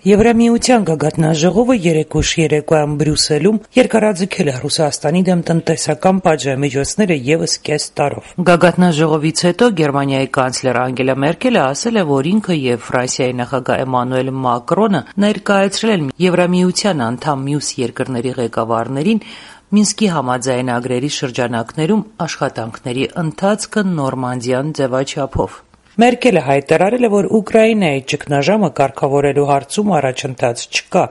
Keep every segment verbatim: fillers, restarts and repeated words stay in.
Եվրամիության գագաթնաժողովը երեկ ուշ երեկոյան Բրյուսելում երկարաձգել է Ռուսաստանի դեմ տնտեսական պատժամիջոցները ևս կես տարով։ Գագաթնաժողովից հետո Գերմանիայի կանցլեր Անգելա Մերկելը ասել է, որ ինքը եւ Ֆրանսիայի նախագահ Էմանուել Մակրոնը ներկայացրել են Եվրամիության անդամ մյուս երկրների ղեկավարներին Մինսկի համաձայնագրերի շրջանակներում աշխատանքների ընթացքը նորմանդիան ձևաչափով։ Մերկելը հայտարարել է, որ Ուկրաինայի ճգնաժամը կարգավորելու հարցում առաջընթաց չկա։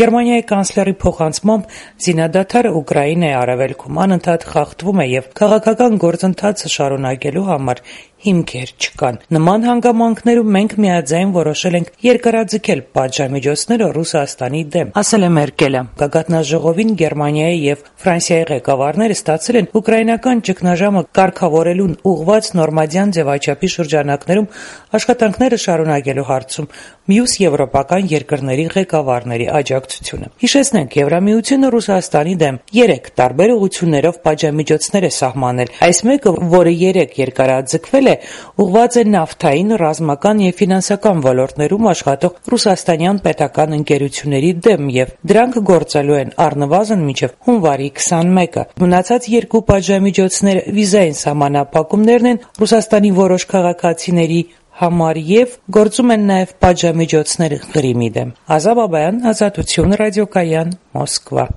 Գերմանիայի կանցլերի փոխանցմամբ զինադադարը Ուկրաինայի արևելքում անընդհատ խախտվում է եւ քաղաքական գործընթացը շարունակելու համար հիմքեր չկան։ Նման հանգամանքներում մենք միաձայն որոշել ենք երկարաձգել պատժամիջոցները Ռուսաստանի դեմ, ասել է Մերկելը։ Գագաթնաժողովին Գերմանիայի եւ Ֆրանսիայի ղեկավարները ստացել են ուկրաինական ճգնաժամը կարգավորելուն ուղղված նորմանդիան ձևաչափի շրջանակներում աշխատանքները շարունակելու հարցում մյուս եվրոպական երկրների ղեկավարների աջակցությունը։ Հիշեցնենք, Եվրամիությունը Ռուսաստանի դեմ երեք տարբեր ուղղություններով պատժամիջոցներ է սահմանել։ Այս մեկը, որը երեք երկարաձգվել է, ուղղված է նավթային, ռազմական եւ ֆինանսական ոլորտներում աշխատող ռուսաստանյան պետական ընկերությունների դեմ եւ դրանք գործելու են առնվազն մինչեւ հունվարի քսանմեկը։ Մնացած երկու պատժամիջոցները վիզային սահմանափակումներն են Ռուսաստանի որոշ քաղաքացիների համար եւ գործում են նաեւ պատժամիջոցներ Ղրիմի դեմ։ Ազա Բաբայան, Ազատություն, ռադիոկայան, Մոսկվա։